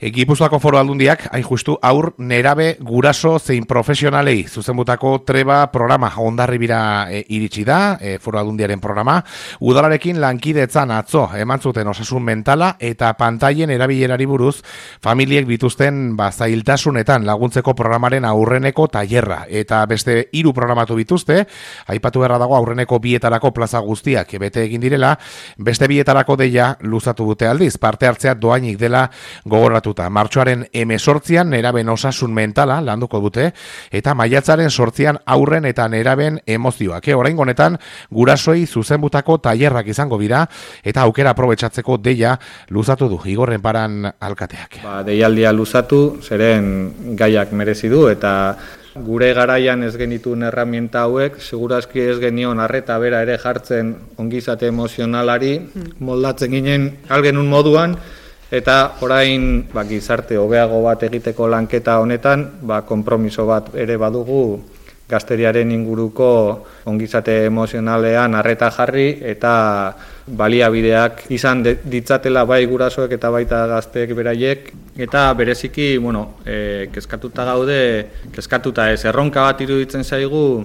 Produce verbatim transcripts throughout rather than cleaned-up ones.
E, Gipuzkoako Foru Aldundiak, hain justu, aur nerabe guraso zein profesionalei zuzenbutako treba programa Hondarribira e, iritsi da, e, Foru Aldundiaren programa. Udalarekin lankidetzan atzo eman zuten osasun mentala eta pantailen erabilerari buruz familiek bituzten ba, zailtasunetan laguntzeko programaren aurreneko tailerra. Eta beste hiru programatu bituzte, aipatu beharra dago aurreneko bietarako plaza guztiak bete egin direla, beste bietarako deia luzatu dute aldiz, parte hartzea doainik dela gogoratuta. Martxoaren hemezortzian neraben osasun mentala landuko dute, eta maiatzaren sortzian aurren eta neraben emozioak. E, oraingo honetan gurasoei zuzenbutako tailerrak izango dira, eta aukera aprobetxatzeko deia luzatu du Igorren Paran alkateak. Ba, deialdia luzatu, zeren gaiak merezi du, eta gure garaian ez genituen erramienta hauek, segurazki ez genion arreta bera ere jartzen ongizate emozionalari, moldatzen ginen algenun moduan, eta orain ba, gizarte hobeago bat egiteko lanketa honetan, ba, konpromiso bat ere badugu gazteriaren inguruko ongizate emozionalean arreta jarri eta baliabideak izan ditzatela bai gurasoek eta baita gazteek beraiek, eta bereziki, bueno, e, kezkatuta gaude, kezkatuta ez, erronka bat iruditzen zaigu,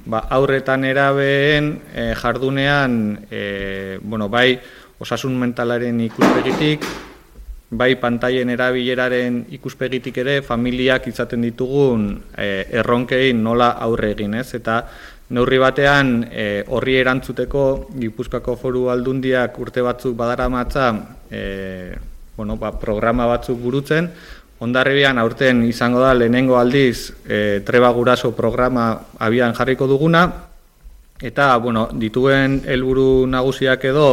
ba, aurretan erabeen e, jardunean, e, bueno, bai osasun mentalaren ikuspegitik, bai pantailen erabileraren ikuspegitik ere, familiak izaten ditugun e, erronkei nola aurre egin, ez? Eta neurri batean e, horri erantzuteko Gipuzkoako Foru Aldundiak urte batzuk badaramatza e, bueno, ba, programa batzuk burutzen. Hondarribian aurten izango da lehenengo aldiz e, treba guraso programa abian jarriko duguna, eta bueno, dituen helburu nagusiak edo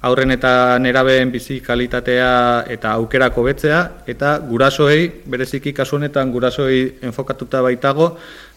aurren eta nerabeen bizi kalitatea eta aukerako betzea, eta gurasoei, bereziki kasu honetan gurasoei enfokatuta baitago,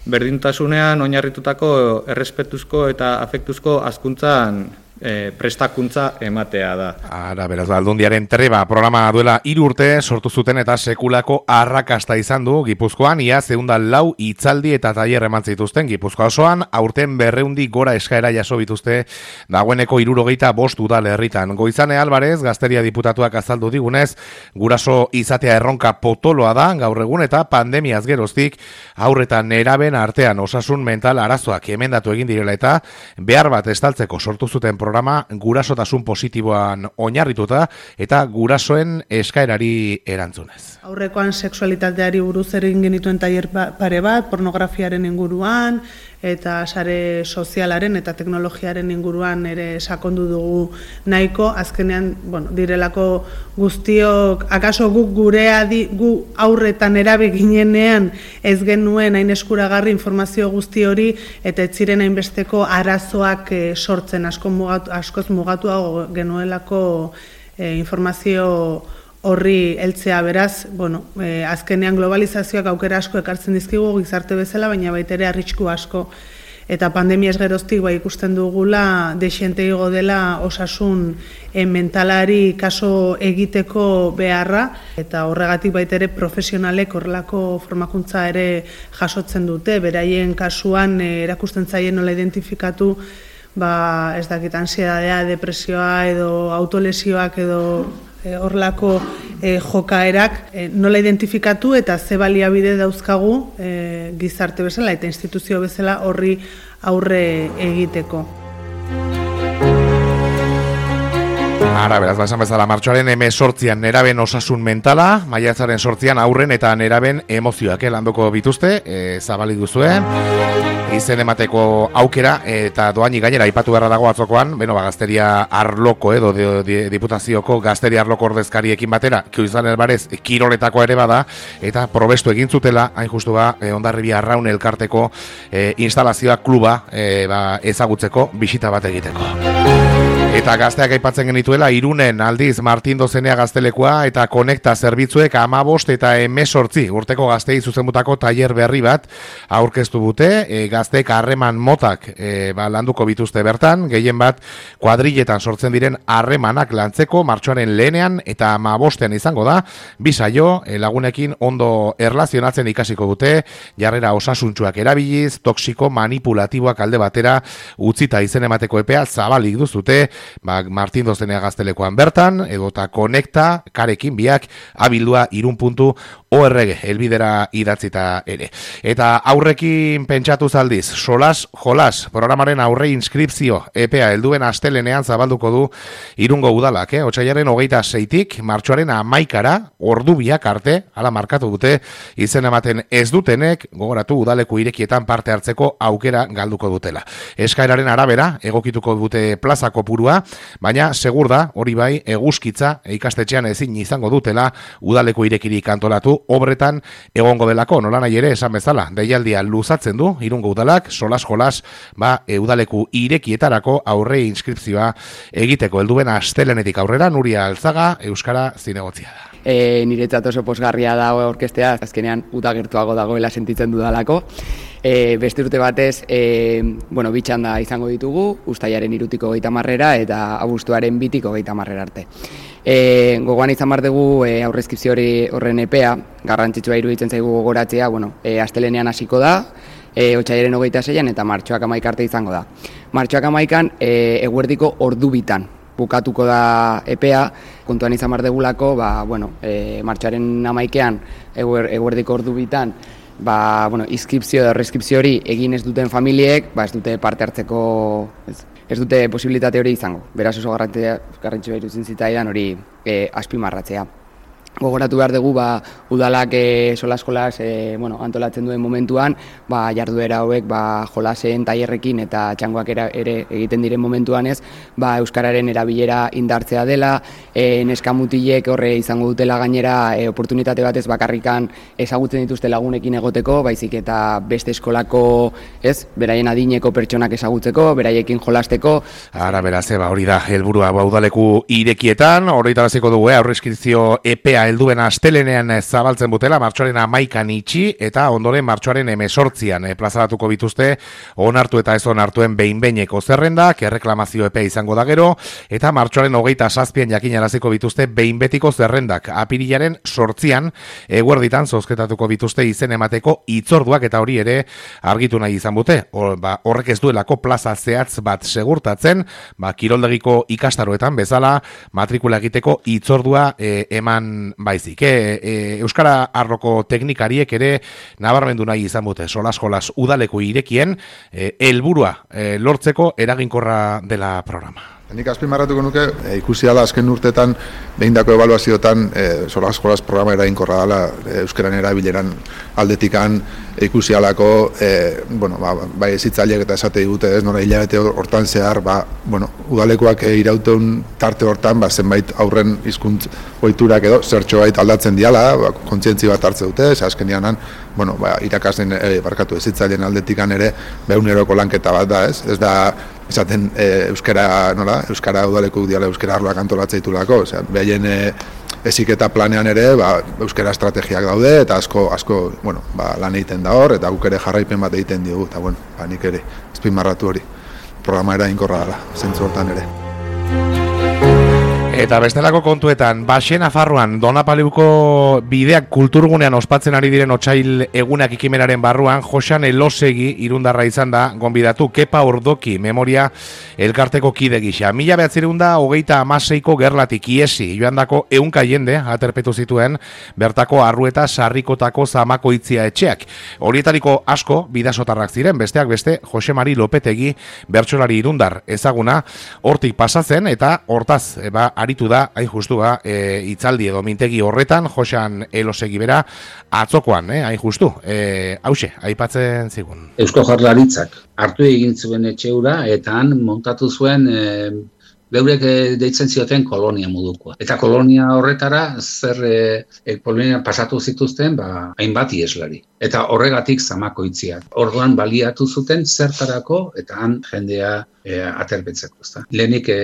berdintasunean oinarritutako errespetuzko eta afektuzko hazkuntzan e, prestakuntza ematea da. Ara, beraz, Aldundiaren treba programa duela hiru urte sortu zuten eta sekulako arrakasta izan du Gipuzkoan, ia zeunda lau hitzaldi eta tailer eman zituzten Gipuzkoa osoan, aurten berreundi gora eskaera jaso bituzte dagoeneko hirurogeita bost udal herritan. Goizane Alvarez, Gazteria diputatuak azaldu digunez, guraso izatea erronka potoloa da gaur egun, eta pandemiaz geroztik aurretan neraben artean osasun mental arazoak emendatu egin direla, eta behar bat estaltzeko sortu zuten programa gurasotasun positiboan oinarrituta eta gurasoen eskaerari erantzunez. Aurrekoan sexualitateari buruz egin genituen tailer pare bat, pornografiaren inguruan eta sare sozialaren eta teknologiaren inguruan ere sakondu dugu nahiko. Azkenean, bueno, direlako guztiok, akaso guk gurea di, gu aurretan erabe ginenean ez genuen hain eskuragarri informazio guzti hori, eta ez ziren hainbesteko arazoak e, sortzen asko mugatu, askoz mugatuago genuelako e, informazio horri heltzea. Beraz, bueno, e, azkenean globalizazioak aukera asko ekartzen dizkigu gizarte bezala, baina baita ere arrisku asko. Eta pandemiaz geroztik bai ikusten dugula desiente igo dela osasun e, mentalari kaso egiteko beharra, eta horregatik baita ere profesionalek horrelako formakuntza ere jasotzen dute, beraien kasuan e, erakusten zaien nola identifikatu ba, ez dakit, ansiedadea, depresioa edo autolesioak edo horrelako e, jokaerak e, nola identifikatu eta ze baliabide dauzkagu e, gizarte bezala eta instituzio bezala horri aurre egiteko. Ara, beraz, esan bezala, martxoaren hemezortzian neraben osasun mentala, maiatzaren sortzian aurren eta neraben emozioak landuko bituzte, e, zabalik duzue, izen emateko aukera, eta doaini gainera aipatu beharra dago atzokoan, beno, ba, Gazteria Arloko edo de, de, diputazioko Gazteria Arloko ordezkariekin batera, Kioizan Elbarez kiroletako ere bada, eta probestu egin zutela, hain justu ba, e, Hondarribia Arraun elkarteko e, instalazioa kluba e, ba, ezagutzeko bisita bat egiteko. Eta gazteak aipatzen genituela, Irunen aldiz Martin Dozenea gaztelekoa eta Konekta zerbitzuek hamabost eta hemezortzi urteko gaztei zuzenbutako tailer berri bat aurkeztu dute. E, gazteek harreman motak e, ba, landuko bituzte bertan, gehien bat kuadriletan sortzen diren harremanak lantzeko martxoaren lehenean eta hamabostean izango da. Bi saio e, lagunekin ondo erlazionatzen ikasiko dute, jarrera osasuntsuak erabiliz, toksiko manipulatiboak alde batera utzita izen emateko epea zabalik duzute, ba, Martin Dozenea gaztelekoan bertan, edota konekta, karekin biak, abildua irun puntu org, elbidera idatzita ere. Eta aurrekin pentsatu zaldiz, solas jolas, programaren aurre inskripzio, epea helduen astelenean zabalduko du Irungo udalak, eh? Otsailaren hogeita seitik, martxoaren amaikara, ordu biak arte, hala markatu dute, izen ematen ez dutenek, gogoratu udaleku irekietan parte hartzeko aukera galduko dutela. Eskaeraren arabera, egokituko dute plaza kopurua, baina segur da, hori bai, eguzkitza, ikastetxean ezin izango dutela, udaleku irekirik antolatu, obretan egongo delako, nola nahi ere esan bezala, deialdia luzatzen du, Irungo udalak, solas jolas, ba, e, udaleku irekietarako aurre inskripzioa egiteko helduen astelenetik aurrera, Nuria Alzaga, Euskara Zinegotzia da. E, niretzat oso posgarria da orkestea, azkenean uda gertuago dagoela sentitzen dudalako. E, beste urte batez, e, bueno, bitxanda izango ditugu, ustaiaren irutiko geita marrera eta abuztuaren bitiko geita marrera arte. E, gogoan izan bar dugu e, aurrezkipzio hori horren epea, garrantzitsua iruditzen zaigu gogoratzea, bueno, e, astelenean hasiko da, e, otsailaren hogeita seian eta martxoak amaik arte izango da. Martxoak amaikan e, eguerdiko ordu bitan bukatuko da epea, kontuan izan bar degulako, ba, bueno, e, martxoaren amaikean eguer, eguerdiko ordu bitan, ba, bueno, inskripzio edo reskripzio hori egin ez duten familiek, ba, ez dute parte hartzeko, ez, ez dute posibilitate hori izango. Beraz oso garrantzitsua iruditzen zitzaidan hori e, azpimarratzea. Gogoratu behar dugu, ba, udalak e, solas jolas e, bueno, antolatzen duen momentuan, ba, jarduera hauek ba, jolasen tailerrekin eta txangoak era, ere egiten diren momentuan ez, ba, euskararen erabilera indartzea dela, e, neskamutilek horre izango dutela gainera e, oportunitate batez bakarrikan ezagutzen dituzte lagunekin egoteko, baizik eta beste eskolako, ez, beraien adineko pertsonak ezagutzeko, beraiekin jolasteko. Ara beraz, eba, hori da, helburua ba, udaleku irekietan, horretaraziko dugu, eh, aurrezkizio epea helduen astelenean zabaltzen butela, martxoaren amaikan itxi, eta ondoren martxoaren emesortzian e, plazaratuko bituzte, onartu eta ez onartuen behin-beineko zerrendak, erreklamazio epea izango da gero, eta martxoaren hogeita zazpian jakinaraziko bituzte behin-betiko zerrendak. Apirilaren sortzian, eguerditan zozketatuko bituzte izen emateko itzorduak, eta hori ere argitu nahi izan bute. Hor, ba, horrek ez duelako plaza zehatz bat segurtatzen, ba, kiroldegiko ikastaroetan bezala, matrikula egiteko itzordua e, eman baizik. E, e, Euskara arloko teknikariek ere nabarmendu nahi izan dute solas jolas udaleku irekien e, helburua e, lortzeko eraginkorra dela programa. Nik azpimarratuko nuke, e, ikusi dela azken urtetan behindako ebaluazioetan e, solas jolas programa eraginkorra dela e, euskeran erabileran aldetikan e, ikusi dalako, e, bueno, ba, bai ezitzaileak eta esate digute ez, nora hilabete hortan zehar, ba, bueno, udalekoak e, irauten tarte hortan, ba, zenbait aurren hizkuntz ohiturak edo zertxo bait aldatzen diala, ba, kontzientzi bat hartze dute, ez azkenianan, bueno, ba, irakasten e, barkatu ezitzaileen aldetikan ere behuneroko lanketa bat da, ez, ez da esaten e, euskara, nola, euskara udaleku diala euskara arloak antolatzea osea, behaien e, eziketa planean ere, ba, euskara estrategiak daude, eta asko, asko, bueno, ba, lan egiten da hor, eta guk ere jarraipen bat egiten diogu, eta bueno, ba, nik ere, azpimarratu hori, programa eraginkorra dela, zentzu hortan ere. Eta bestelako kontuetan, Baxe Nafarroan, Donapaleuko bideak kulturgunean ospatzen ari diren otsail egunak ikimenaren barruan, Joxan Elosegi irundarra izan da, gonbidatu Kepa Ordoki, memoria elkarteko kide gisa. Mila behatzireunda, hogeita amaseiko gerlatik iesi, joandako ehunka jende, aterpetu zituen, bertako arrueta sarrikotako zamakoitzia etxeak. Horietariko asko, bidasotarrak ziren, besteak beste, Jose Mari Lopetegi, bertsolari irundar ezaguna, hortik pasatzen, eta hortaz, eba, aritu da, hain justu ba, e, itzaldi edo mintegi horretan, Joxan Elosegi bera, atzokoan, eh, hain justu, e, hause, aipatzen zigun. Eusko Jaurlaritzak hartu egin zuen etxeura, eta han montatu zuen e, beurek deitzen zioten kolonia modukoa. Eta kolonia horretara, zer e, kolonia pasatu zituzten, ba, hainbat ieslari. Eta horregatik zamakoitziak. Orduan baliatu zuten zertarako, eta han jendea e, aterpetzeko. Ezta? Lehenik e,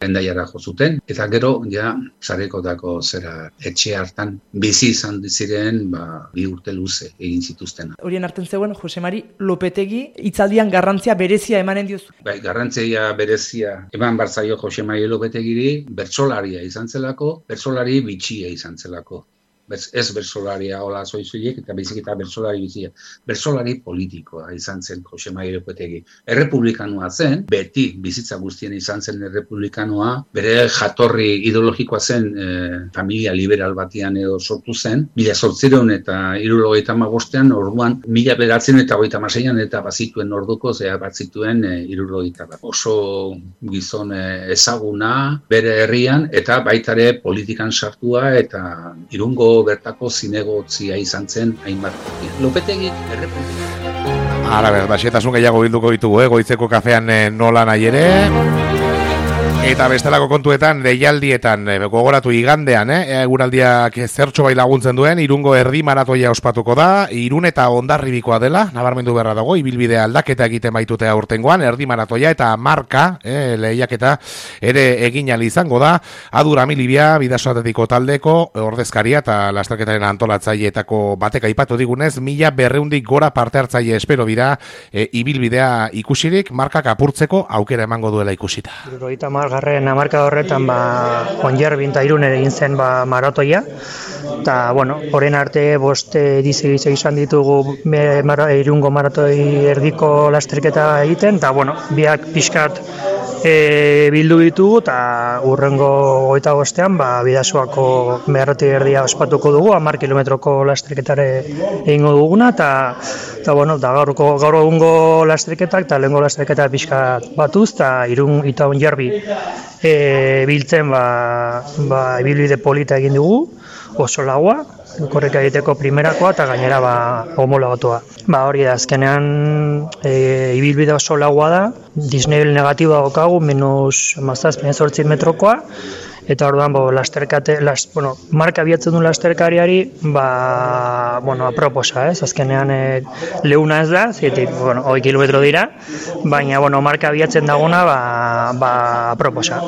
Hendaiara jo zuten, eta gero, ja, sarekotako zera etxe hartan bizi izan ziren, ba, bi urte luze egin zituzten. Horien hartzen zegoen, Jose Mari Lopetegi, hitzaldian garrantzia berezia emanen diozu. Bai, garrantzia berezia eman barzaio Jose Mari Lopetegiri, bertsolaria izan zelako, bertsolari bitxia izan zelako. ez bersolaria hola zoizuiek, eta baizik eta bersolari bizia. Bersolari politikoa izan zen Jose Mari Lopetegi. Errepublikanoa zen, beti bizitza guztien izan zen errepublikanoa, bere jatorri ideologikoa zen e, familia liberal batian edo sortu zen, mila zortziehun eta hirurogeita hamabostean, orduan, mila bederatziehun eta hogeita hamaseian eta bazituen orduko, zea batzituen e, hirurogeita bat. Oso gizon e, ezaguna bere herrian, eta baitare politikan sartua, eta Irungo bertako zinegotzia izan zen hainbat. Lopetegi errepublika. Ara, ber, baxetasun gehiago bilduko ditugu, eh? Goizeko kafean eh, nola nahi ere. Eta bestelako kontuetan, deialdietan, e, gogoratu igandean, eh? Eguraldiak zertxo bai laguntzen duen, Irungo erdi maratoia ospatuko da, Irun eta Hondarribikoa dela, nabarmendu beharra dago, ibilbidea aldaketa egiten baitute aurtengoan, erdi maratoia eta marka, eh, lehiaketa ere egin ahal izango da, Adura Milibia, Bidasoatetiko taldeko, ordezkaria eta lasterketaren antolatzaileetako batek aipatu digunez, mila berreundik gora parte hartzaile espero bira, e, ibilbidea ikusirik, markak apurtzeko aukera emango duela ikusita. Garren hamarkada horretan ba Hondarribin eta Irun egin zen ba maratoia, eta bueno, orain arte bost edizio izan ditugu me, mara, Irungo maratoi erdiko lasterketa egiten, eta bueno, biak pixkat e, bildu ditugu, eta urrengo hogeita bostean ba Bidasoako maratoi erdia ospatuko dugu, hamar kilometroko lasterketare egingo duguna, eta eta bueno, da gaurko gaur egungo lasterketak eta lehengo lasterketa pixkat batuz, eta Irun eta Hondarri E, biltzen ba, ba, ibilbide polita egin dugu, oso laua, korrika egiteko primerakoa eta gainera ba, homologatua. Ba, hori da, azkenean e, ibilbide oso laua da, disnebel negatiboa daukagu, minus mazazpien zortzi metrokoa, eta orduan bo, lasterkate, las, bueno, marka abiatzen du lasterkariari, ba, bueno, aproposa, ez? Azkenean e, leuna ez da, zitik, bueno, hogei kilometro dira, baina, bueno, marka abiatzen daguna, ba, ba, aproposa.